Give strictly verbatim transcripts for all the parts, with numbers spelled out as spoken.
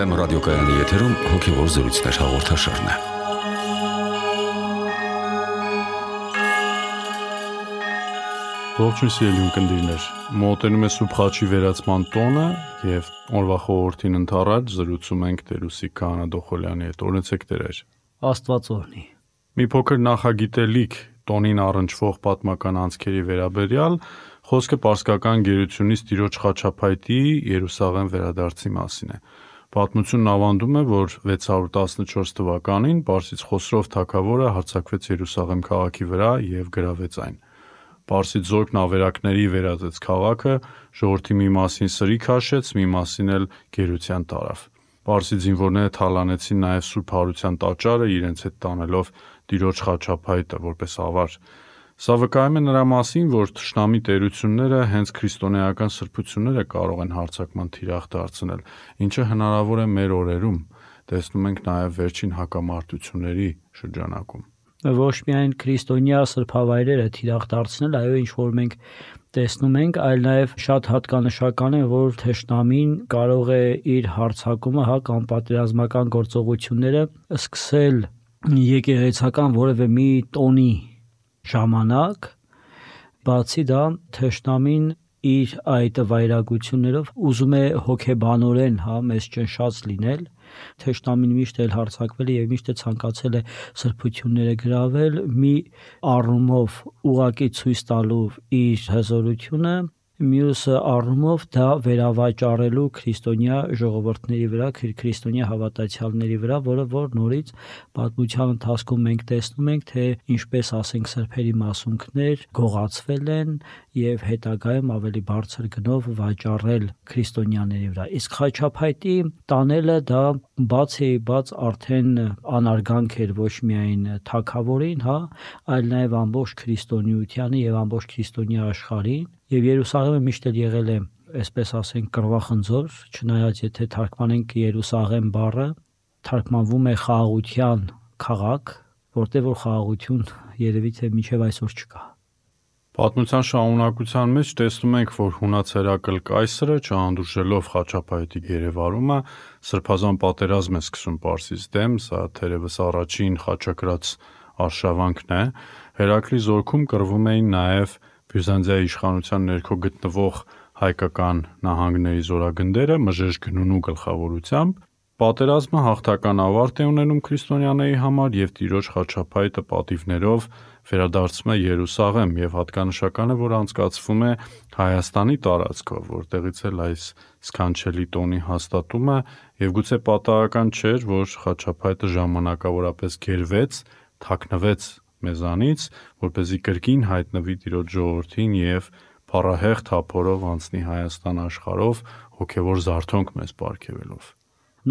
Բեթլեհեմ ռադիոկայանի եթերում հոգևոր զրույցներ հաղորդաշարն է։ Ողջույն սիրելի ունկնդիրներ, մոտենում է Սուրբ Խաչի վերացման տոնը եւ օրվա խորհրդին ընթառաջ զրուցում ենք Տեր-Ուսիկ Քահանա Դոխոլյանի հետ։ Օրհնեցեք Տեր։ Աստված օրհնի։ Մի փոքր նախագիտելիք տոնին առնչվող պատմական անցքերի վերաբերյալ խոսքը պարսկական գերությունից Տիրոջ խաչապայտի Երուսաղեմ վերադարձի մասին է։ Պատմությունն ավանդում է, որ վեց հարյուր տասնչորս թվականին Պարսից Խոսրով թագավորը հարձակվեց Երուսաղեմ քաղաքի վրա եւ գրավեց այն։ Պարսից զորքն ավերակների վերածեց քաղաքը, ժողովրդի մի մասին սրի քաշեց, մի մասին էլ գերության տարավ։ Պարսից զինվորները թալանեցին նաև Սուրբ Հարության տաճարը, իրենց հետ տանելով Տիրոջ խաչապայտը որպես ավար։ Սա վկայում է նրա մասին, որ թշնամի տերությունները հենց քրիստոնեական սրբությունները կարող են հարձակման թիրախ դարձնել, ինչը հնարավոր է մեր օրերում։ Տեսնում ենք նաև վերջին հակամարտությունների շրջանակում։ Ոչ միայն քրիստոնյա սրբավայրերը թիրախ դարձնել, այո, ինչ որ մենք տեսնում ենք, այլ նաև շատ հատկանշական է, որ թշնամին կարող է իր հարձակումը, հա, կամ պատերազմական գործողությունները սկսել եկեղեցական որևէ մի տոնի ժամանակ, բացի դա թշնամին իր այդ վայրագություններով ուզում է հոգեբանորեն, հա, մեզ ճնշած լինել։ Թշնամին միշտ էլ հարձակվել է եւ միշտ է ցանկացել է սրբությունները գրավել մի առումով ուղակի ցույց տալու իր հզորությունը, մյուս առումով դա վերավաճառելու քրիստոնյա ժողովուրդների վրա, քրիստոնյա հավատացյալների վրա, որը որ նորից պատմության ընթացքում մենք տեսնում ենք, թե ինչպես ասենք սրբերի մասունքներ գողացվել են եւ հետագայում ավելի բարձր գնով վաճառել քրիստոնյաների վրա։ Իսկ խաչապայտի տանելը դա բացի բաց արդեն անարգանք էր ոչ միայն թագավորին, հա, այլ նաեւ ամբողջ քրիստոնեությանը եւ ամբողջ քրիստոնյա աշխարհին, եւ Երուսաղեմը միշտ էլ եղել է, այսպես ասենք, կռվախնձոր, չնայած եթե թարգմանենք Երուսաղեմ բառը, թարգմանվում է խաղաղության քաղաք, որտեղ որ խաղաղություն երևի թե մինչև այսօր չկա։ Պատմության շարունակության մեջ տեսնում ենք, որ հունաց Հերակլ կայսրը չհանդուրժելով խաչապայտի գերեվարումը սրբազան պատերազմ է սկսում Պարսից դեմ, սա թերևս առաջին խաչակրաց արշավանքն է։ Հերակլի զորքում կռվում էին նաև Բյուզանդիայի իշխանության ներքո գտնվող հայկական նահանգների զորագնդերը Մժեշ Գնունու գլխավորությամբ։ Պատերազմը հաղթական ավարտ է ունենում քրիստոնյաների համար եւ Տիրոջ խաչապայտը պատիվներով վերադարձում է Երուսաղեմ եւ հատկանշական է, որ անցկացվում է Հայաստանի տարածքով, որտեղից էլ այս սքանչելի տոնի հաստատումը եւ գուցե պատահական չէր, որ խաչապայտը ժամանակավորապես գերվեց, թաքնվեց մեզանից, որպեսզի կրկին հայտնվի Տիրոջ ժողովրդին եւ փառահեղ թափորով անցնի Հայաստան աշխարհով հոգեվոր զարթոնք մեզ պարգևելով։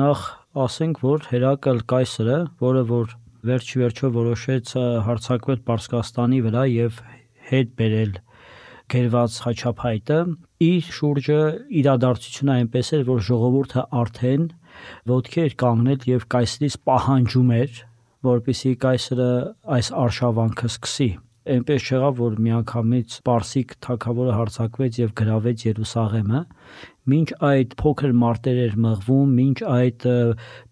Նախ ասենք, որ Հերակլ կայսրը, որը որ վերջի վերջո որոշեց հարձակվել Պարսկաստանի վրա եւ հետ բերել գերված խաչապայտը, իր շուրջը իրադարձությունը այնպես էր, որ ժողովուրդը արդեն ոտքի էր կանգնել եւ կայսրից պահանջում էր, որպեսզի կայսրը այս արշավանքը սկսի։ Այնպես չեղավ, որ միանգամից Պարսիկ թագավորը հարձակվեց եւ գրավեց Երուսաղեմը, մինչ այդ փոքր մարտեր էր մղվում, մինչ այդ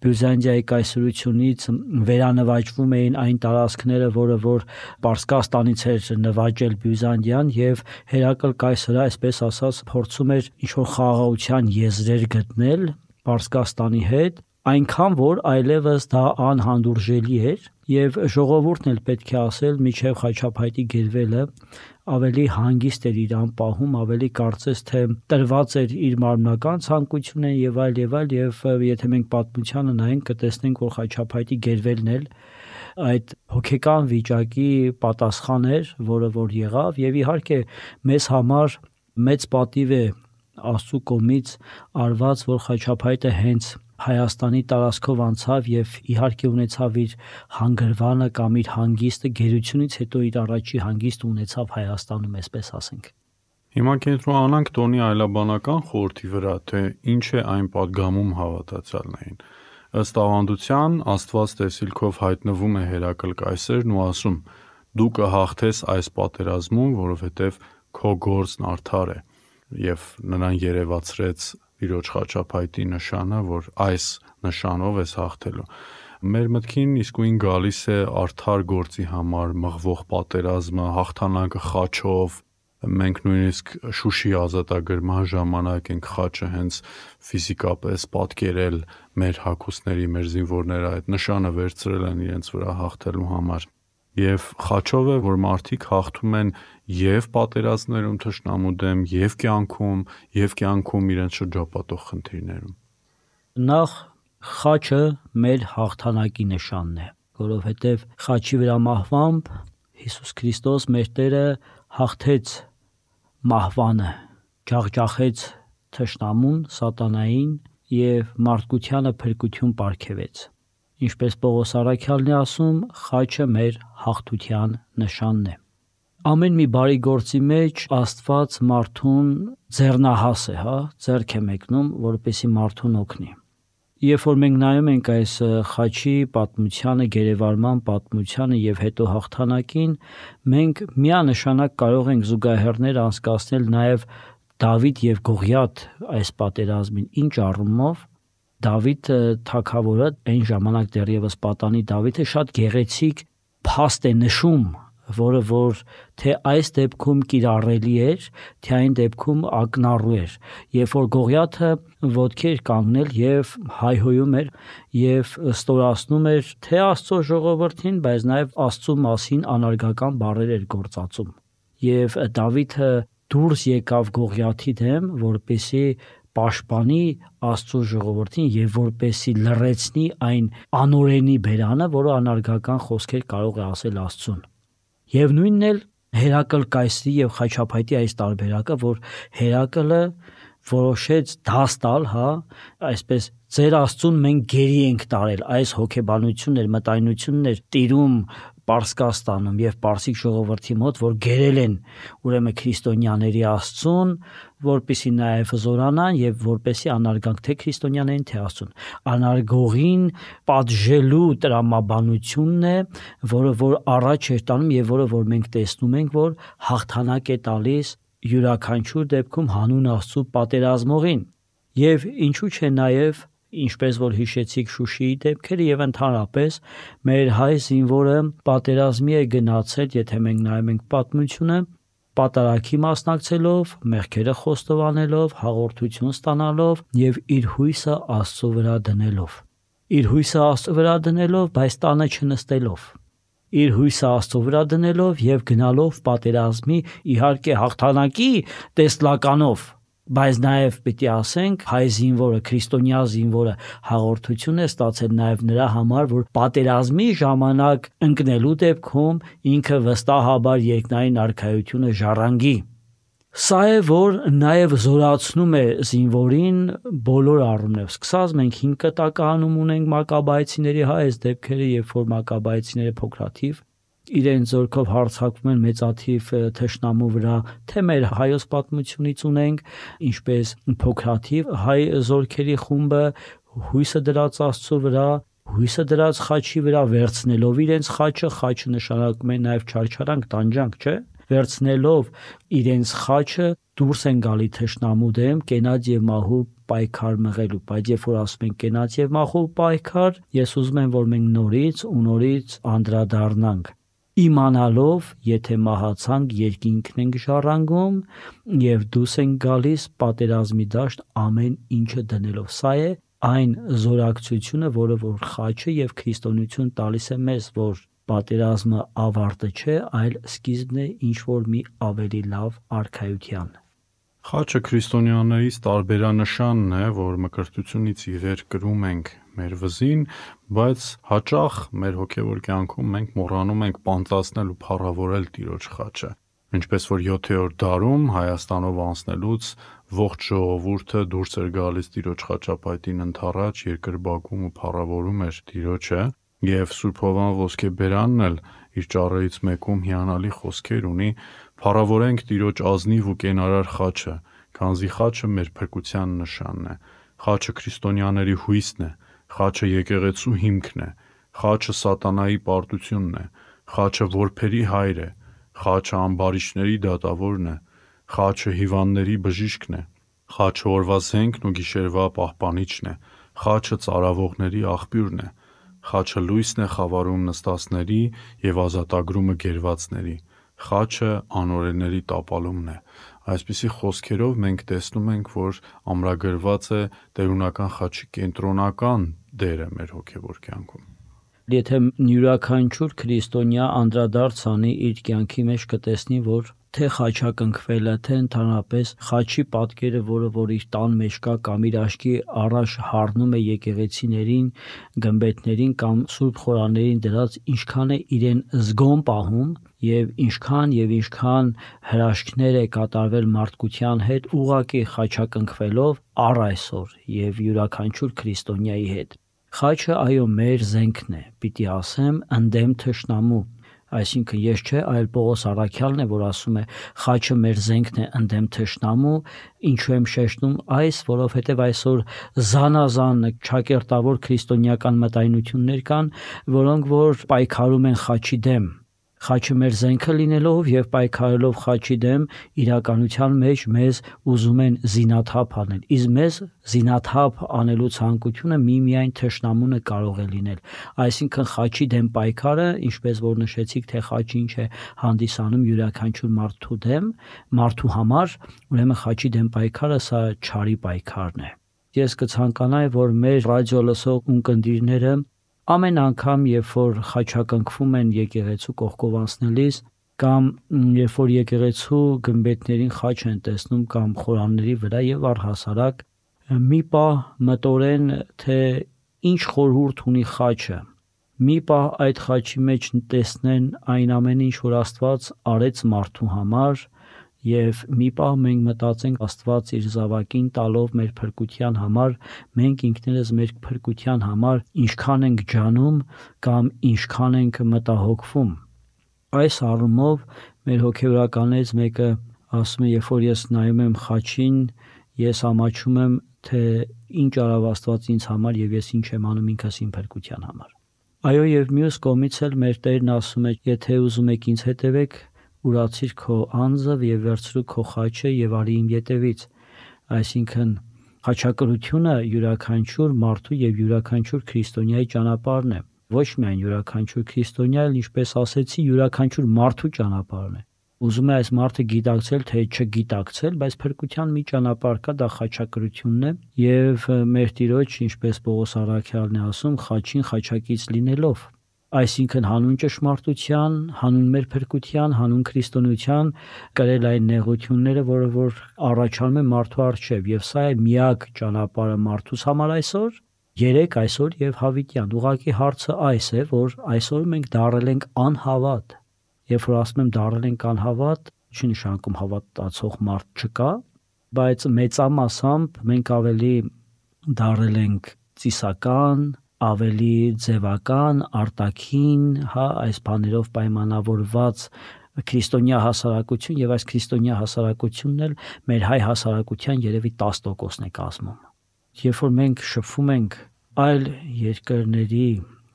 Բյուզանդիայի կայսրությունից վերանվաճվում էին այն տարածքները, որը որ Պարսկաստանից էր նվաճել Բյուզանդիան, եւ Հերակլ կայսրը, այսպես ասած, փորձում էր ինչ-որ խաղաղության եզրեր գտնել Պարսկաստանի հետ, այնքան որ այլևս դա անհանդուրժելի էր եւ ժողովուրդն էլ պետք է ասել միջև խաչապայտի գերվելը ավելի հանգիստ էր իրան պահում, ավելի կարծես թե տրված էր իր մարմնական ցանկությունն եւ այլ եւ այլ եւ եթե մենք պատմությանը նայենք կտեսնենք, որ խաչապայտի գերվելն էլ այդ հոգեկան վիճակի պատասխան էր, որը որ եղավ եւ իհարկե մեզ համար մեծ պատիվ է Աստծո կողմից արված, որ խաչապայտը հենց Հայաստանի տարածքով անցավ եւ իհարկե ունեցավ իր հանգրվանը կամ իր հանգիստը գերությունից հետո իր առաջի հանգիստը ունեցավ Հայաստանում, այսպես ասենք։ Հիմա կենտրոնանանք տոնի այլաբանական խորհրդի վրա, թե ինչ է այն պատգամում հավատացյալներին։ Ըստ ավանդության Աստված տեսիլքով հայտնվում է Հերակլ կայսրն ու ասում. «Դու կհաղթես այս պատերազմում, որովհետև քո գործն արդար է», եւ նրան երևացրեց Տիրոջ խաչապայտի նշանը, որ այս նշանով ես հաղթելու։ Մեր մտքին իսկույն գալիս է արդար գործի համար մղվող պատերազմը, հաղթանակը խաչով։ Մենք նույնիսկ Շուշի ազատագրման ժամանակ ենք խաչը հենց ֆիզիկապես պատկերել մեր հագուստների, մեր զինվորները այդ նշանը վերցրել են իրենց վրա հաղթելու համար։ Եվ խաչով է, որ մարդիկ հաղթում են եւ պատերազմներում թշնամու դեմ, եւ կյանքում, եւ կյանքում իրենց շրջապատող խնդիրներում։ Նախ խաչը մեր հաղթանակի նշանն է, որովհետև խաչի վրա մահվամբ Հիսուս Քրիստոս մեր Տերը հաղթեց մահվանը, ջախջախեց թշնամուն, սատանային եւ մարդկությանը փրկություն պարգևեց։ Ինչպես Պողոս առաքյալն է ասում, խաչը մեր հաղթության նշանն է։ Ամեն մի բարի գործի մեջ Աստված մարդուն ձեռնահաս է, հա, ձեռք է մեկնում, որպեսզի մարդուն օգնի։ Երբ որ մենք նայում ենք այս խաչի պատմությանը, գերեվարման պատմությանը եւ հետո հաղթանակին, մենք միանշանակ կարող ենք զուգահեռներ անցկացնել նաեւ Դավիթ եւ Գողիաթ այս պատերազմին, ինչ առումով Դավիթ թագավորը այն ժամանակ դեռևս պատանի Դավիթը շատ գեղեցիկ փաստ է նշում, որը որ թե այս դեպքում կիրառելի էր, թե այն դեպքում ակնառու էր, երբ որ Գողիաթը ոտքի էր կանգնել եւ հայհոյում էր եւ ստորացնում էր թե Աստծո ժողովրդին, բայց նաեւ Աստծո մասին անարգական բառեր էր գործածում։ Եվ Դավիթը դուրս եկավ Գողիաթի դեմ, որպեսզի պաշտպանի Աստծո ժողովրդին եւ որպեսզի լռեցնի այն անօրենի բերանը, որը անարգական խոսքեր կարող է ասել Աստծուն։ Եվ նույնն էլ Հերակլ կայսրի եւ խաչապայտի այս տարբերակը, որ Հերակլը որոշեց դաս տալ, հա, այսպես ձեր Աստծուն մենք գերի ենք տարել, այս հոգեբանություններ, մտայնություններ տիրում Պարսկաստանում եւ Պարսիկ ժողովրդի մոտ, որ գերել են ուրեմն քրիստոնյաների Աստծուն, որպեսի նաեւ զորանան եւ որպեսի անարգանք թե քրիստոնյաներին թե Աստծուն։ Անարգողին պատժելու տրամաբանությունն է, որը որ առաջ է տանում եւ որը որ մենք տեսնում ենք, որ հաղթանակ է տալիս յուրաքանչյուր դեպքում հանուն Աստծո պատերազմողին։ Եվ ինչու՞ չէ նաեւ ինչպես որ հիշեցիք Շուշիի դեպքերը եւ ընդհանրապես մեր հայ զինվորը պատերազմի է գնացել, եթե մենք նայում ենք պատմությունը, պատարագի մասնակցելով, մեղքերը խոստովանելով, հաղորդություն ստանալով եւ իր հույսը Աստծո վրա դնելով։ Իր հույսը Աստծո վրա դնելով, բայց տանը չնստելով։ Իր հույսը Աստծո վրա դնելով եւ գնալով պատերազմի, իհարկե հաղթանակի տեսլականով, բայց նաև պիտի ասենք հայ զինվորը, քրիստոնյա զինվորը հաղորդություն է ստացել նաև նրա համար, որ պատերազմի ժամանակ ընկնելու դեպքում ինքը վստահաբար երկնային արքայությունը ժառանգի։ Սա է, որ նաև զորացնում է զինվորին բոլոր առումներով։ Սկսած մենք հինգ կտակահանում ունենք Մակաբայեցիների հա այս դեպքերը, երբ որ Մակաբայեցիները փոքրաթիվ իրենց զորքով հարձակվում են մեծաթիվ թշնամու վրա, թե մեր հայոց պատմությունից ունենք, ինչպես փոքրաթիվ հայ զորքերի խումբը հույսը դրած Աստծո վրա, հույսը դրած խաչի վրա վերցնելով իրենց խաչը, խաչը նշանակում է նաև չարչարանք, տանջանք, չէ՞, վերցնելով իրենց խաչը դուրս են գալի թշնամու դեմ, կենաց եւ մահու պայքար մղելու, բայց երբ որ ասում են կենաց եւ մահու պայքար, ես ուզում եմ, որ մենք նորից ու նորից անդրադառնանք իմանալով, եթե մահացանք, երկինքն ենք ժառանգում եւ դուրս ենք գալիս պատերազմի դաշտ ամեն ինչը դնելով։ Սա է այն զորակցությունը, որը որ խաչը եւ քրիստոնեություն տալիս է մեզ, որ պատերազմը ավարտը չէ, այլ սկիզբն է ինչ որ մի ավելի լավ արքայության։ Խաչը քրիստոնյաներից տարբերանշանն է, որ մկրտությունից ի վեր կրում ենք մեր վզին, բայց հաճախ մեր հոգևոր կյանքում մենք մոռանում ենք պանծացնել ու փառավորել Տիրոջ խաչը։ Ինչպես որ յոթերորդ դարում Հայաստանով անցնելուց ողջ ժողովուրդը դուրս էր գալիս Տիրոջ խաչապայտին ընդառաջ երկրպագում ու փառավորում էր Տիրոջը, եւ Սուրբ Հովան Ոսկեբերանն էլ իր ճառերից մեկում հիանալի խոսքեր ունի. «Փառավորենք Տիրոջ ազնիվ ու կենարար խաչը, քանզի խաչը մեր փրկության նշանն է, խաչը քրիստոնյաների հույսն է, խաչը եկեղեցու հիմքն է, խաչը սատանայի պարտությունն է, խաչը որբերի հայր է, խաչը ամբարիշտների դատավորն է, խաչը հիվանդների բժիշկն է, Խաչը օրվա զենքն ու գիշերվա պահպանիչն է, խաչը ծարավողների աղբյուրն է, խաչը լույսն է խավարում նստածների և ազատագրումը գերվածների, խաչը անօրենների տապալումն է։ Այսպիսի խոսքերով մենք տեսնում ենք, որ ամրագրված է տերունական խաչի կենտրոնական դերը մեր հոգևոր կյանքում։ Եթե յուրաքանչյուր քրիստոնյա անդրադարձ անի իր կյանքի մեջ, կտեսնի, որ թե խաչակնքվելը, թե ընդհանրապես խաչի պատկերը, որը որ իր տան մեջ կա կամ իր աչքի առաջ հառնում է եկեղեցիներին, գմբեթներին կամ սուրբ խորաններին դրած, ինչքան է իրեն զգոն պահում եւ ինչքան եւ ինչքան հրաշքներ է կատարվել մարդկության հետ ուղակի խաչակնքվելով առ այսօր եւ յուրաքանչյուր քրիստոնյայի հետ։ Խաչը այո մեր զենքն է, պիտի ասեմ, ընդդեմ թշնամու, այսինքն ես չէ, այլ Պողոս առաքյալն է, որ ասում է խաչը մեր զենքն է ընդդեմ թշնամու, ինչու եմ շեշտում այս, որովհետև այսօր զանազան ճակերտավոր քրիստոնեական մտայնություններ կան, որոնք որ պայքարում են խաչի դեմ։ Խաչը մեր զենքը լինելով եւ պայքարելով խաչի դեմ, իրականության մեջ մեզ ուզում են զինաթափ անել։ Իսկ մեզ զինաթափ անելու ցանկությունը միմիայն թշնամուն է կարող է լինել։ Այսինքն խաչի դեմ պայքարը, ինչպես որ նշեցիք, թե խաչը ինչ է հանդիսանում յուրաքանչյուր մարդու դեմ, մարդու համար, ուրեմն խաչի դեմ պայքարը սա չարի պայքարն է։ Ես կցանկանայի, որ մեր ռադիո լսող ունկնդիրները ամեն անգամ, երբ որ խաչակնքվում են եկեղեցու կողքով անցնելիս կամ երբ որ եկեղեցու գմբեթներին խաչ են տեսնում կամ խորանների վրա եւ առհասարակ մի պահ մտորեն, թե ինչ խորհուրդ ունի խաչը, մի պահ այդ խաչի մեջ տեսնեն այն ամենը, ինչ որ Աստված արեց մարդու համար, եւ մի պահ մենք մտածենք Աստված իր զավակին տալով մեր փրկության համար, մենք ինքներս մեր փրկության համար ինչքան ենք ջանում կամ ինչքան ենք մտահոգվում։ Այս առումով մեր հոգեվորականներից մեկը ասում է, երբ որ ես նայում եմ խաչին, ես ամաչում եմ, թե ինչ արավ Աստված ինձ համար եւ ես ինչ եմ անում ինքս իմ փրկության համար։ Այո, եւ մյուս կողմից էլ մեր Տերն ասում է, եթե ուզում եք ինձ հետևեք, ուրացիր քո անձը եւ վերցրու քո խաչը եւ արի իմ ետևից։ Այսինքն խաչակրությունը յուրաքանչյուր մարդու եւ յուրաքանչյուր քրիստոնյայի ճանապարհն է։ Ոչ միայն յուրաքանչյուր քրիստոնյա, այլ ինչպես ասեցի, յուրաքանչյուր մարդու ճանապարհն է։ Ուզում է այս մարդը գիտակցել, թե չգիտակցել, բայց փրկության մի ճանապարհ կա, դա խաչակրությունն է եւ մեր Տիրոջ, ինչպես Պողոս առաքյալն է ասում, խաչին խաչակից լինելով։ Այսինքն հանուն ճշմարտության, հանուն մեր փրկության, հանուն քրիստոնեության կրել այն նեղությունները, որը որ առաջանում է մարդու առջև, եւ սա է միակ ճանապարհը մարդուս համար այսօր, երեք այսօր եւ հավիտյան։ Ուղղակի հարցը այս է, որ այսօր մենք դառել ենք անհավատ։ Երբ որ ասում եմ դառել ենք անհավատ, չի նշանակում հավատացող մարդ չկա, բայց մեծամասամբ մենք ավելի դառել ենք ծիսական, ավելի ձևական, արտաքին, հա, այս բաներով պայմանավորված քրիստոնյա հասարակություն եւ այս քրիստոնյա հասարակությունն էլ մեր հայ հասարակության երևի տասը տոկոսն է կազմում։ Երբ որ մենք շփվում ենք այլ երկրների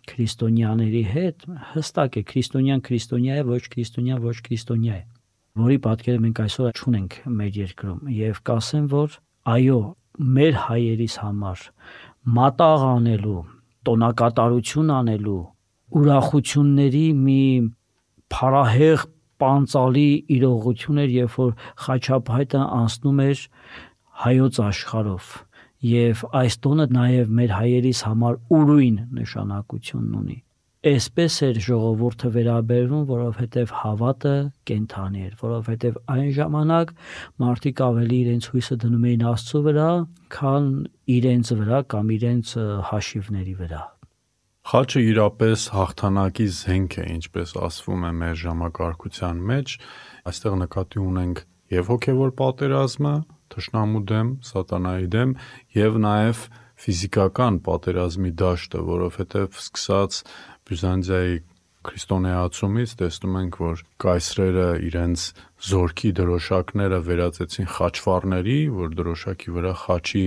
քրիստոնյաների հետ, հստակ է քրիստոնյան քրիստոնյա է, ոչ քրիստոնյա ոչ քրիստոնյա է, որի պատկերը մենք այսօր չունենք մեր երկրում եւ կասեմ, որ այո, մեր հայերիս համար մատաղ անելու, տոնակատարություն անելու, ուրախությունների մի փարահեղ պանծալի իրողություն էր, երբ որ խաչապայտը անցնում էր հայոց աշխարհով եւ այս տոնը նաեւ մեր հայերիս համար ուրույն նշանակություն ունի։ Այսպես էր ժողովուրդը վերաբերվում, որովհետև հավատը կենթանի էր, որովհետև այն ժամանակ մարդիկ ավելի իրենց հույսը դնում էին Աստծո վրա, քան իրենց վրա կամ իրենց հաշիվների վրա։ Խաչը իրապես հաղթանակի զենք է, ինչպես ասվում է մեր ժամակարգության մեջ, այստեղ նկատի ունենք եւ հոգեվոր պատերազմը, թշնամու դեմ, սատանայի դեմ, եւ նաեւ ֆիզիկական պատերազմի դաշտը, որովհետեւ սկսած Բյուզանդիայի քրիստոնեացումից տեսնում ենք, որ կայսրերը իրենց զորքի դրոշակները վերածեցին խաչվառների, որ դրոշակի վրա խաչի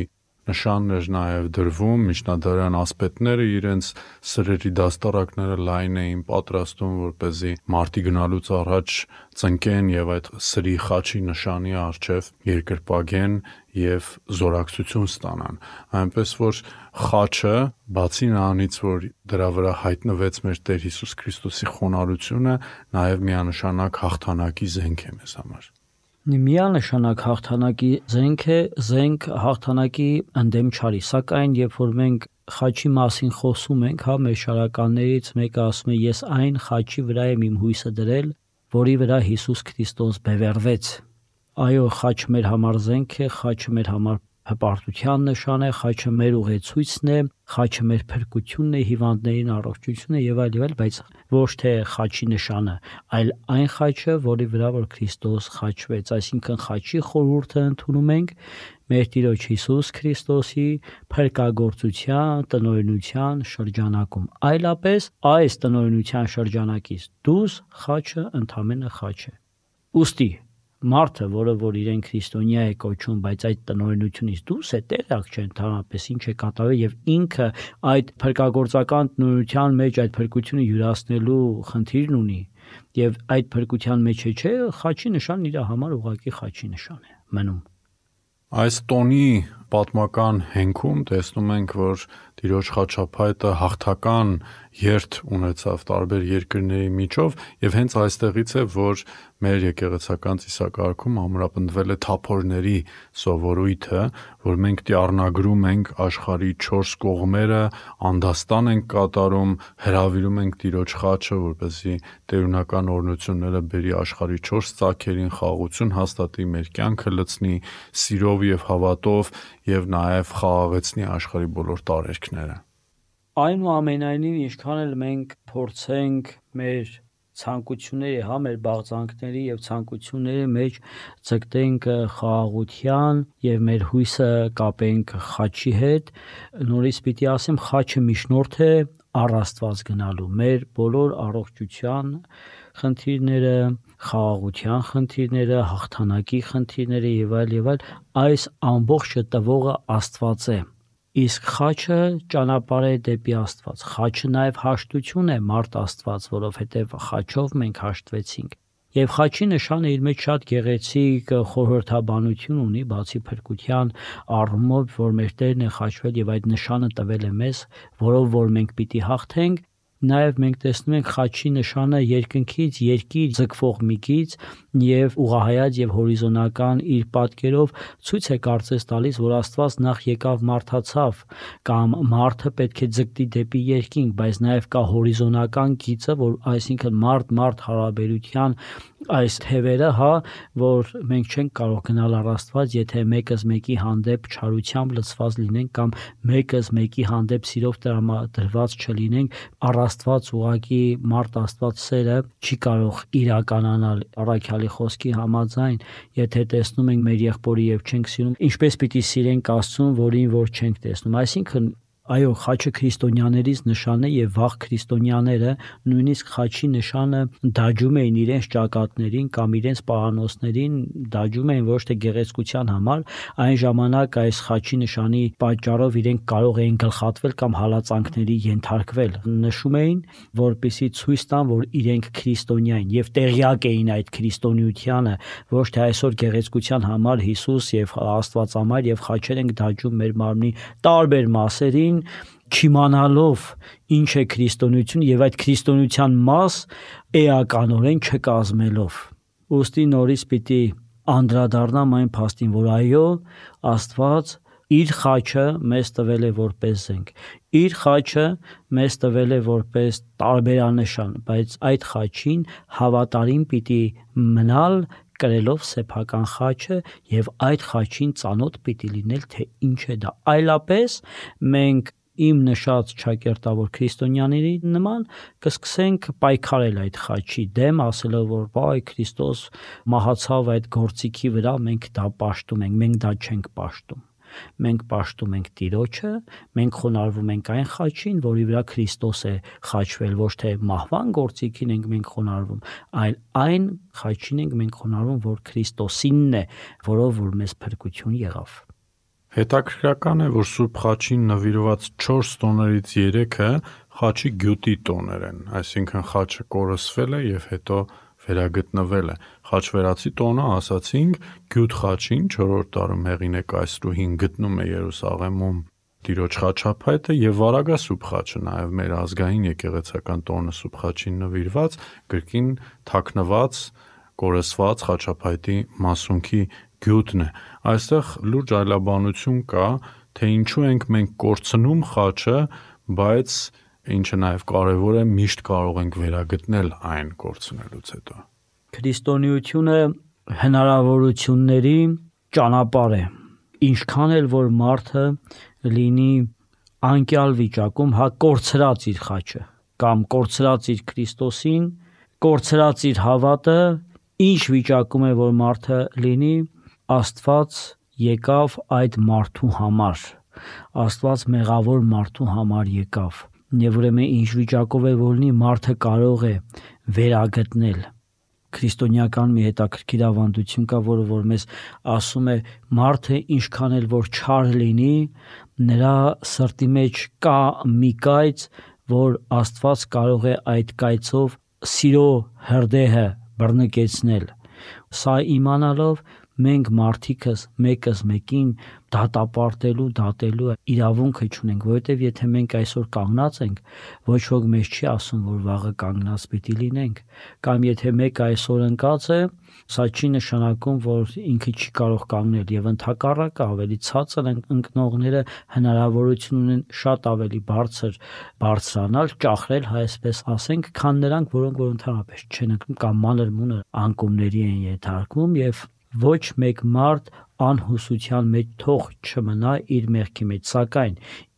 նշանն էր նաև դրվում, միջնադարյան ասպետները իրենց սրերի դաստառակները լայն էին պատրաստում, որպեսզի մարտի գնալուց առաջ ծնկեն եւ այդ սրի խաչի նշանի առջև երկրպագեն եւ զորակցություն ստանան, այնպես որ խաչը, բացի նրանից, որ դրա վրա հայտնվեց մեր Տեր Հիսուս Քրիստոսի խոնարհությունը, նաև միանշանակ հաղթանակի զենք է մեզ համար։ Միանշանակ հաղթանակի զենք է, զենք հաղթանակի ընդդեմ չարի, սակայն երբ որ մենք խաչի մասին խոսում ենք, հա, մեր շարականներից մեկը ասում է, ես այն խաչի վրա եմ իմ հույսը դրել, որի վրա Հիսուս Քրիստոս բևեռվեց։ Այո, խաչը մեր համար զենք է, խաչը մեր համար հպարտության նշան է, խաչը մեր ուղեցույցն է, խաչը մեր փրկությունն է, հիվանդներին առողջությունն է եւ այլ եւ այլ, բայց ոչ թե խաչի նշանը, այլ այն խաչը, որի վրա որ Քրիստոս խաչվեց, այսինքն խաչի խորհուրդը ընդունում ենք մեր Տիրոջ Հիսուս Քրիստոսի փրկagorցության, տնօրինության շրջանակում։ Այլապես այս տնօրինության շրջանակից դուրս խաչը ընդամենը խաչ է։ Ուստի մարդը, որը որ իրեն քրիստոնյա է կոչում, բայց այդ տնօրինությունից դուրս է, տեղյակ չէ ընդհանրապես ինչ է կատարվել եւ ինքը այդ փրկagorցական տնօրինության մեջ այդ փրկությունը յուրացնելու խնդիրն ունի եւ այդ փրկության մեջ է, չէ, խաչի նշանն իր համար ուղղակի խաչի նշան է մնում։ Այս տոնի պատմական հենքում տեսնում ենք, որ Տիրոջ խաչապայտը հաղթական երթ ունեցավ տարբեր երկրների միջով եւ հենց այստեղից է, որ մեր եկեղեցական ծիսակարգում ամրապնդվել է թափորների սովորույթը, որ մենք տիառնագրում ենք աշխարհի չորս կողմերը, անդաստան ենք կատարում, հրավիրում ենք Տիրոջ խաչը, որպեսզի տերունական օրհնությունները բերի աշխարհի չորս ծագերին, խաղաղություն հաստատի, մեր կյանքը լցնի սիրով եւ հավատով եւ նաեւ խաղաղեցնի աշխարհի բոլոր տարերքները։ Այնուամենայնիվ, ինչքան էլ մենք փորձենք մեր ցանկությունների, հա, մեր բաղձանքների եւ ցանկությունների մեջ ցկտենք խաղաղության եւ մեր հույսը կապենք խաչի հետ, նորից պիտի ասեմ, խաչը միջնորդ է առ Աստված գնալու, մեր բոլոր առողջության խնդիրները, խաղաղության խնդիրները, հաղթանակի խնդիրները եւ այլ եւ այլ, այս ամբողջը տվողը Աստված է։ Իսկ խաչը ճանապարհ է դեպի Աստված։ Խաչը նաև հաշտություն է մարդ Աստված, որովհետև խաչով մենք հաշտվեցինք։ Եվ խաչի նշանը իր մեջ շատ գեղեցիկ խորհրդաբանություն ունի, բացի փրկության առումով, որ մեր Տերն է խաչվել եւ այդ նշանը տվել է մեզ, որով որ մենք պիտի հաղթենք։ Նաև մենք տեսնում ենք խաչի նշանը երկնքից երկիր ձգվող միգից եւ ուղղահայաց եւ հորիզոնական իր պատկերով ցույց է կարծես տալիս, որ Աստված նախ եկավ մարդացավ կամ մարդը պետք է ձգտի դեպի երկինք, բայց նաև կա հորիզոնական գիծը, որ այսինքն մարդ-մարդ հարաբերության այս թևերը, հա, որ մենք չենք կարող գնալ առ Աստված, եթե մեկս մեկի հանդեպ չարությամբ լցված լինենք կամ մեկս մեկի հանդեպ սիրով տրամադրված չլինենք, առ Աստված ուղղակի մարդ Աստված սերը չի կարող իրականանալ առաքյալի խոսքի համաձայն, եթե տեսնում ենք մեր եղբորը եւ չենք սիրում, ինչպես պիտի սիրենք Աստծուն, որին որ չենք տեսնում, այսինքն այո, խաչը քրիստոնյաներից նշան է եւ վաղ քրիստոնյաները նույնիսկ խաչի նշանը դաջում էին իրենց ճակատներին կամ իրենց պահանոցներին, դաջում էին ոչ թե գեղեցկության համար, այն ժամանակ այս խաչի նշանի պատճառով իրենք կարող էին գլխատվել կամ հալածանքների ենթարկվել։ Նշում էին, որպեսզի ցույց տան, որ իրենք քրիստոնյա են եւ տեղյակ էին այդ քրիստոնեությանը, ոչ թե այսօր գեղեցկության համար Հիսուս եւ Աստվածամայր եւ խաչեր ենք դաջում մեր մարմնի տարբեր մասերին, չիմանալով ինչ է քրիստոնեություն եւ այդ քրիստոնեության մաս էականորեն չկազմելով։ Ուստի նորից պիտի անդրադառնամ այն փաստին, որ այո, Աստված իր խաչը մեզ տվել է որպես զենք, իր խաչը մեզ տվել է որպես տարբերանշան, բայց այդ խաչին հավատարիմ պիտի մնալ կրելով սեփական խաչը եւ այդ խաչին ծանոթ պիտի լինել, թե ինչ է դա։ Այլապես մենք իմ նշած ճակերտավոր քրիստոնյաների նման կսկսենք պայքարել այդ խաչի դեմ, ասելով որ բայ Քրիստոս մահացավ այդ գործիքի վրա, մենք դա պաշտում ենք, մենք դա չենք պաշտում։ Մենք պաշտում ենք Տիրոջը, մենք խոնարհվում ենք այն խաչին, որի վրա Քրիստոս է խաչվել, ոչ թե մահվան գործիքին ենք մենք խոնարհվում, այլ այն խաչին ենք մենք խոնարհվում, որ Քրիստոսինն է, որով որ մեզ փրկություն եղավ։ Հետաքրքրական է, որ Սուրբ Խաչին նվիրված չորս տոներից երեքը խաչի գյուտի տոներ են, այսինքն խաչը կորսվել է եւ հետո վերագտնվել է։ Խաչվերացի տոնը, ասացինք, գյուտ խաչին չորրորդ դարում Հեղինե կայսրուհին գտնում է Երուսաղեմում Տիրոջ խաչափայտը եւ Վարագասուրբ խաչը, նաեւ մեր ազգային եկեղեցական տոնը Սուրբ Խաչին նվիրված գրքին թաքնված, կորսված խաչափայտի մասունքի գյուտն է։ Այստեղ լուրջ այլաբանություն կա, թե ինչու ենք մենք կորցնում խաչը, բայց ինչը նաև կարևոր է, միշտ կարող ենք վերագտնել այն կորցնելուց հետո։ Քրիստոնեությունը հնարավորությունների ճանապարհ է։ Ինչքան էլ որ մարդը լինի անկյալ վիճակում, հա կորցրած իր խաչը կամ կորցրած իր Քրիստոսին, կորցրած իր հավատը, ինչ վիճակում է որ մարդը լինի, Աստված եկավ այդ մարդու համար, Աստված մեղավոր մարդու համար եկավ, եւ ուրեմն ինչ վիճակով է որ լինի, մարդը կարող է վերագտնել։ Քրիստոնեական մի հետաքրքիր ավանդություն կա, որը որ մեզ ասում է, մարդը ինչքան էլ որ չար լինի, նրա սրտի մեջ կա մի կայծ, որ Աստված կարող է այդ կայծով սիրո հրդեհը բռնկեցնել։ Սա իմանալով մենք մարդիկս մեկս մեկին դատապարտելու, դատելու իրավունքը չունենք, որովհետև եթե մենք այսօր կանգնած ենք, ոչ ոք մեզ չի ասում, որ վաղը կանգնած պիտի լինենք, կամ եթե մեկը այսօր ընկած է, սա չի նշանակում, որ ինքը չի կարող կանգնել, եւ ընդհակառակը ավելի ցածր ընկնողները հնարավորություն ունեն շատ ավելի բարձր բարձրանալ, ճախրել, այսպես ասենք, քան նրանք, որոնք որ ընդհանրապես չեն ընկնում կամ մանր մունր անկումների են ենթարկվում, եւ ոչ մեկ մարդ անհուսության մեջ թող չմնա իր մեղքի մեջ, սակայն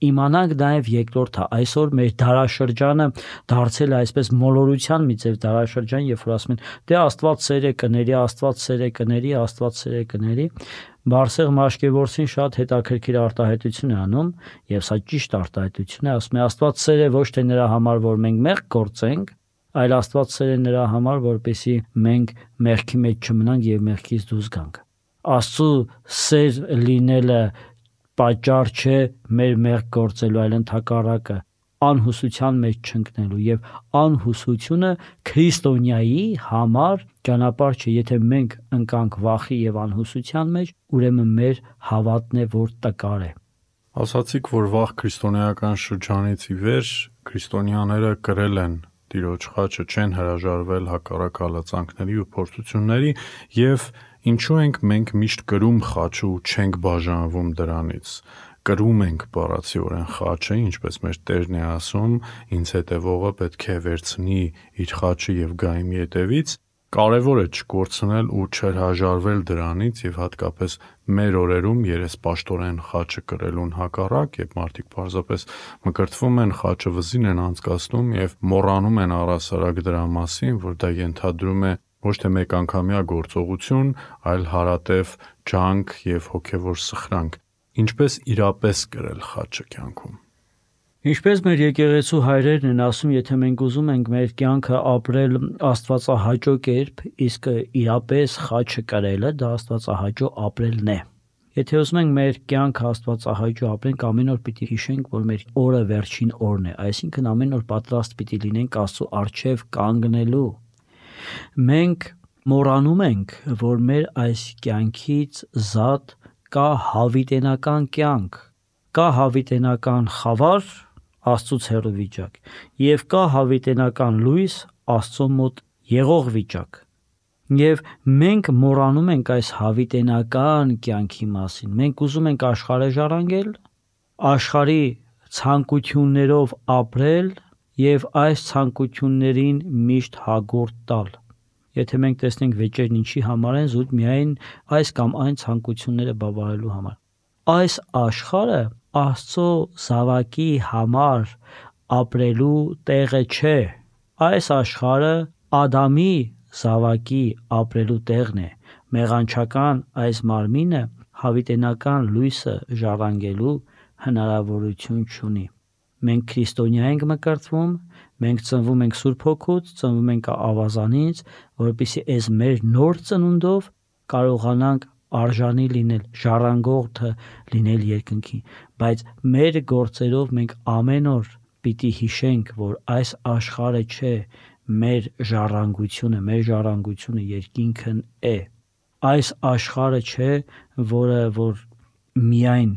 իմանանք նաև երկրորդը, այսօր մեր դարաշրջանը դարձել է այսպես մոլորության մի ձև դարաշրջան, երբ որ ասում են, դե Աստված սեր է կների, Աստված սեր է կների, Աստված սեր է կների, Բարսեղ Մաշկևորցին շատ հետաքրքիր արտահայտություն է անում, եւ սա ճիշտ արտահայտություն է, ասում է Աստված սեր է ոչ թե նրա համար, որ մենք մեղք գործենք, այլ Աստված սեր է նրա համար, որպեսզի մենք մեղքի մեջ չմնանք եւ մեղքից դուրս գանք։ Աստծո սեր լինելը պատճառ չէ մեր մեղք գործելու, այլ ընդհակառակը անհուսության մեջ չընկնելու, եւ անհուսությունը քրիստոնյայի համար ճանապարհ չէ։ Եթե մենք ընկանք վախի եւ անհուսության մեջ, ուրեմն մեր հավատն է, որ տկար է։ Ասացիք, որ վաղ քրիստոնեական շրջանից ի վեր քրիստոնյաները կրել են Տիրոջ խաչը, չեն հրաժարվել հակառակ հալածանքների ու փորձությունների, եւ ինչու ենք մենք միշտ կրում խաչը ու չենք բաժանվում դրանից։ Կրում ենք բառացիորեն խաչը, ինչպես մեր Տերն է ասում, ինձ հետևողը պետք է վերցնի իր խաչը եւ գա իմ ետևից։ Կարևոր է չկորցնել ու չհրաժարվել դրանից եւ հատկապես մեր օրերում երեսպաշտորեն խաչը կրելուն հակառակ, երբ մարդիկ պարզապես մկրտվում են, խաչը վզին են անցկացնում եւ մոռանում են առասարակ դրա մասին, որ դա ենթադրում է ոչ թե մեկ անգամյա գործողություն, այլ հարատև ջանք եւ հոգեվոր սխրանք։ Ինչպես իրապես կրել խաչը կյանքում։ Ինչպես մեր եկեղեցու հայրերն են ասում, եթե մենք ուզում ենք մեր կյանքը ապրել աստվածահաճո կերպ, իսկ իրապես խաչը կրելը դա աստվածահաճո ապրելն է։ Եթե ուզում ենք մեր կյանքը աստվածահաճո ապրենք, ամեն օր պիտի հիշենք, որ մեր օրը վերջին օրն է, այսինքն ամեն օր պատրաստ պիտի լինենք Աստծո առջև կանգնելու։ Մենք մոռանում ենք, որ մեր այս կյանքից զատ կա հավիտենական կյանք, կա հավիտենական խավար, Աստծուց հեռու վիճակ, եւ կա հավիտենական լույս, Աստծո մոտ եղող վիճակ։ Եվ մենք մոռանում ենք այս հավիտենական կյանքի մասին։ Մենք ուզում ենք աշխարհը ժառանգել, աշխարհի ցանկություններով ապրել եւ այս ցանկություններին միշտ հագորդ տալ։ Եթե մենք տեսնենք վեճերն ինչի համար են, զուտ միայն այս կամ այն ցանկությունները բավարարելու համար։ Այս աշխարհը Աստծո զավակի համար ապրելու տեղը չէ։ Այս աշխարհը Ադամի զավակի ապրելու տեղն է։ Մեղանչական այս մարմինը հավիտենական լույսը ժառանգելու հնարավորություն չունի։ Մենք քրիստոնյա ենք մկրտվում, մենք ծնվում ենք Սուրբ Հոգուց, ծնվում ենք ավազանից, որպեսզի այս մեր նոր ծնունդով կարողանանք արժանի լինել, ժառանգորդը լինել երկնքին, բայց մեր գործերով մենք ամեն օր պիտի հիշենք, որ այս աշխարհը չէ մեր ժառանգությունը, մեր ժառանգությունը երկինքն է։ Այս աշխարհը չէ, որը որ միայն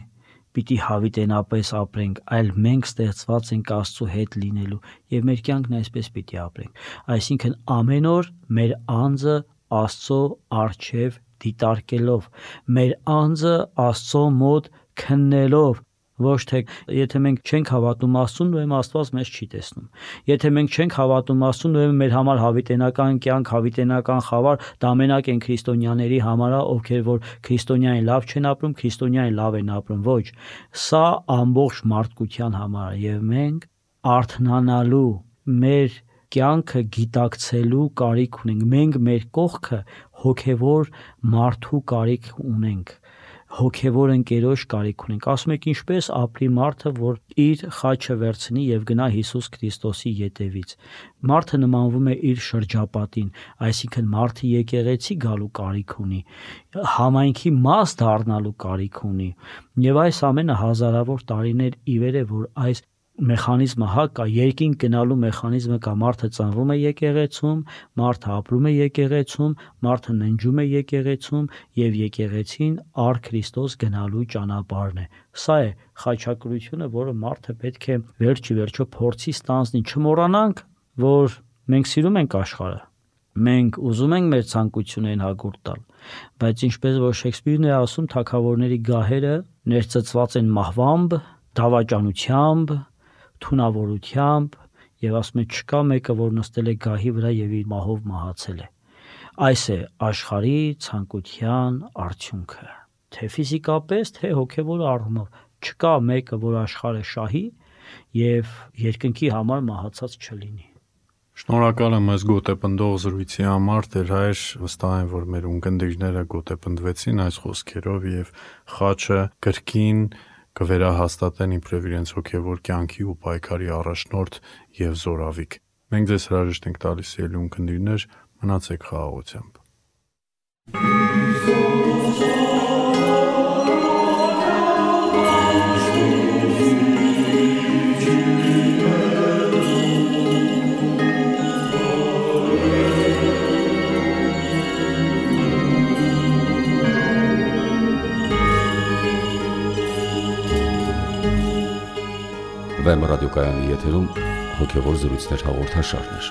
պիտի հավիտենապես ապրենք, այլ մենք ստեղծված ենք Աստծո հետ լինելու եւ մեր կյանքն այսպես պիտի ապրենք։ Այսինքն ամեն օր մեր անձը Աստծո առջև դիտարկելով, մեր անձը Աստծո մոտ քննելով, ոչ թե եթե մենք չենք հավատում Աստծուն, ուրեմն Աստված մեզ չի տեսնում։ Եթե մենք չենք հավատում Աստծուն, ուրեմն մեր համար հավիտենական կյանք, հավիտենական խավար դա մենակ են քրիստոնյաների համար, ովքեր որ քրիստոնյային լավ չեն ապրում, քրիստոնյային լավ են ապրում։ Ոչ, սա ամբողջ մարդկության համար է եւ մենք արթնանալու, մեր կյանքը գիտակցելու կարիք ունենք։ Մենք մեր կողքը հոգևոր մարդու կարիք ունենք, հոգևոր ընկերոջ կարիք ունենք։ Ասում եք ինչպես ապրի մարդը, որ իր խաչը վերցնի եւ գնա Հիսուս Քրիստոսի ետևից։ Մարդը նմանվում է իր շրջապատին, այսինքն մարդը եկեղեցի գալու կարիք ունի, համայնքի մաս դառնալու կարիք ունի։ Եվ այս ամենը հազարավոր տարիներ ի վեր է, որ այս մեխանիզմը հա կա, երկինք գնալու մեխանիզմը կա, մարդը ծնվում է եկեղեցում, մարդը ապրում է եկեղեցում, մարդը ննջում է եկեղեցում եւ եկեղեցին առ Քրիստոս գնալու ճանապարհն է։ Սա է խաչակրությունը, որը մարդը պետք է վերջի վերջո փորձի ստանձնի։ Չմոռանանք, որ մենք սիրում ենք աշխարհը, մենք ուզում ենք մեր ցանկություններին հագուրտ տալ, բայց ինչպես որ Շեքսպիրն է ասում, թագավորների գահերը ներծծված են մահվամբ, դավաճանությամբ, թունավորությամբ եւ ասում է չկա մեկը, որ նստել է գահի վրա եւ իր մահով մահացել է։ Այս է աշխարհի ցանկության արդյունքը, թե ֆիզիկապես, թե հոգեվոր առումով։ Չկա մեկը, որ աշխարհը շահի եւ երկնքի համար մահացած չլինի։ Շնորհակալ եմ այս գոտեպնդող զրույցի համար, Տեր Հայր, վստահ եմ, որ մեր ունկնդիրները գոտեպնդվեցին այս խոսքերով եւ խաչը կրկին կվերահաստատեն իբրև իրենց հոգևոր կյանքի ու պայքարի առաջնորդ եւ զորավիք։ Մենք ձեզ հրաժեշտ ենք տալիս ելի ունկնդիրներ, մնացեք խաղաղությամբ։ Վեմ ռադիոկայանի եթերում հոգևոր զրույցներ հաղորդաշարներ։